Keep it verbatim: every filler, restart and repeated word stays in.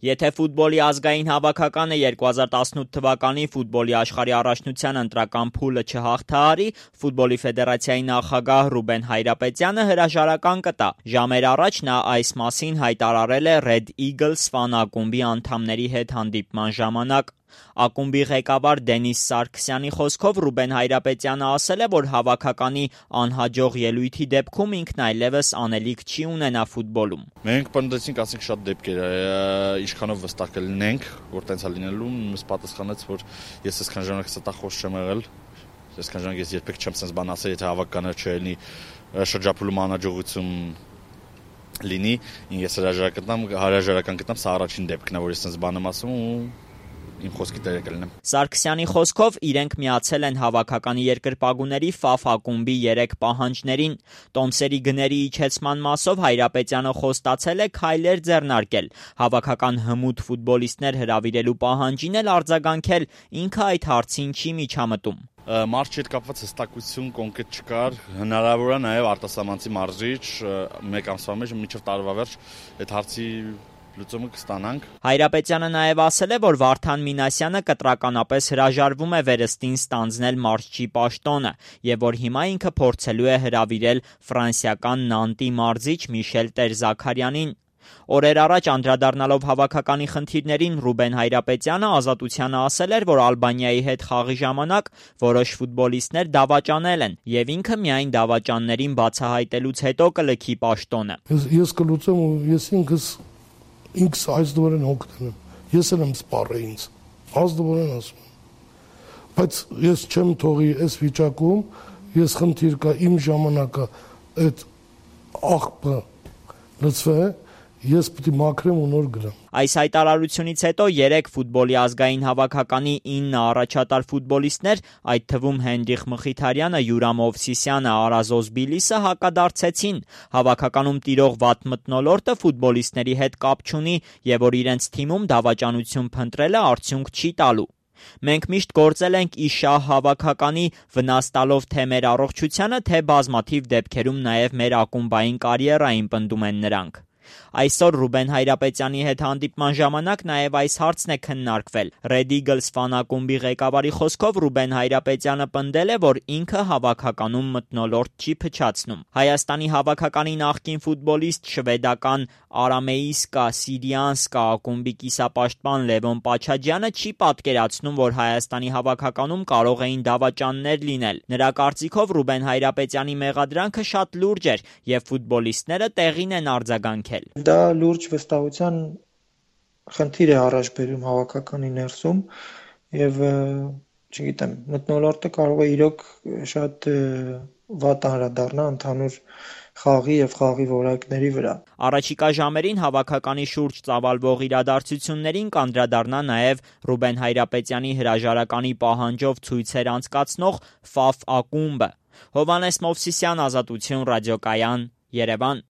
Եթե ֆուտբոլի ազգային հավաքականը երկու հազար տասնութ թվականի ֆուտբոլի աշխարհի առաջնության ընտրական փուլը չհաղթահարի, ֆուտբոլի ֆեդերացիայի նախագահ Ռուբեն Հայրապետյանը հրաժարական կտա։ Ժամեր առաջ նա այս մասին հայտարարել է Red Eagles ֆան ակումբի անդամների հետ հանդիպման ժամանակ։ Ակումբի ղեկավար Դենիս Սարգսյանի խոսքով Ռուբեն Հայրապետյանը ասել է, որ հավաքականի անհաջող ելույթի դեպքում ինքն այլևս անելիք չի ունենա ֆուտբոլում։ Մենք պնդեցինք, ասենք շատ դեպքեր է, ինչքանով վստահ կլինենք, որ տենց է լինելու, ինձ պատասխանեց, որ ես այսքան ժամանակ ստախոս չեմ եղել, այսքան ժամանակ ես երբեք չեմ sense բան ասել, եթե հավաքականը չլինի շրջափուլում անհաջողություն լինի, ես հրաժարական հրաժարական կտամ, սա առաջին դեպքն է, որ ես sense բան եմ ասում ու իմ խոսքի տերը կլինեմ։ Սարգսյանի խոսքով իրենք միացել են հավաքականի երկրպագուների Ֆաֆ ակումբի երեք պահանջներին։ Տոմսերի գների իջեցման մասով Հայրապետյանը խոստացել է քայլեր ձեռնարկել, հավաքական հմուտ ֆուտբոլիստներ հրավիրելու պահանջին էլ արձագանքել, ինքը այդ հարցին չի միջամտում։ Մարզչի հետ կապված հստակություն կոնկրետ չկար, հնարավոր է նաև արտասահմանցի մարզիչ մեկ ամսվա մեջ մինչև տարվա վերջ այդ հարցի լուծումը կստանանք։ Հայրապետյանը նաև ասել է, որ Վարդան Մինասյանը կտրականապես հրաժարվում է վերստին ստանձնել մարզչի պաշտոնը եւ որ հիմա ինքը փորձելու է հրավիրել ֆրանսիական Նանտի մարզիչ Միշել Տեր-Զաքարյանին։ Օրեր առաջ անդրադառնալով հավաքականի խնդիրներին Ռուբեն Հայրապետյանը Ազատությանը ասել էր, որ Ալբանիայի հետ խաղի ժամանակ որոշ ֆուտբոլիստներ դավաճանել են եւ ինքը միայն դավաճաններին բացահայտելուց հետո կլքի պաշտոնը։ Ես կլուծեմ ու ես ինքս ինքս ազդորեն հոգնեմ, ես եմ սպառել ինձ, ազդորեն ասում եմ, բայց ես չեմ թողի այս վիճակում, ես խնդիր կա իմ ժամանակը այդ աղբը լծվե, ես պետք է մաքրեմ ու նոր գնամ։ Այս հայտարարությունից հետո երեք ֆուտբոլի ազգային հավաքականի ինը առաջատար ֆուտբոլիստներ, այդ թվում Հենրիխ Մխիթարյանը, Յուրամ Օվսիսյանը, Արազոզ Բիլիսը հակադարձեցին։ Հավաքականում տիրող վատ մթնոլորտը ֆուտբոլիստների հետ կապ չունի եւ որ իրենց թիմում դավաճանություն փնտրելը արդյունք չի տալու։ Մենք միշտ գործել ենք իշահ հավաքականի, վնաս տալով թե մեր առողջությանը, թե բազմաթիվ դեպքերում նաեւ մեր ակումբային կարիերային, պնդում են նրանք։ Այսօր Ռուբեն Հայրապետյանի հետ հանդիպման ժամանակ նաև այս հարցն է քննարկվել։ Red Eagles ֆան ակումբի ղեկավարի խոսքով Ռուբեն Հայրապետյանը պնդել է, որ ինքը հավաքականում մթնոլորտ չի փչացնում։ Հայաստանի հավաքականի նախկին ֆուտբոլիստ շվեդական Արամեիսկա Սիրիանսկա ակումբի կիսապաշտպան Լևոն Պաչաջյանը չի պատկերացնում, որ Հայաստանի հավաքականում կարող էին դավաճաններ լինել։ Նրա կարծիքով Ռուբեն Հայրապետյանի մեղադրանքը շատ լուրջ էր եւ ֆուտբոլիստները տեղին են արձագանքել։ Դա լուրջ վստահության խնդիր է առաջ բերում հավաքականի ներսում եւ չգիտեմ, մթնոլորտը կարող է իրոք շատ վատ անդրադառնա ընդհանուր խաղի եւ խաղի որակների վրա։ Առաջիկա ժամերին հավաքականի շուրջ ծավալվող իրադարձություններին կանդրադառնա նաեւ Ռուբեն Հայրապետյանի հրաժարականի պահանջով ցույցեր անցկացնող Ֆաֆ ակումբը։ Հովհաննես Մովսիսյան, Ազատություն, ռադիոկայան, Երևան։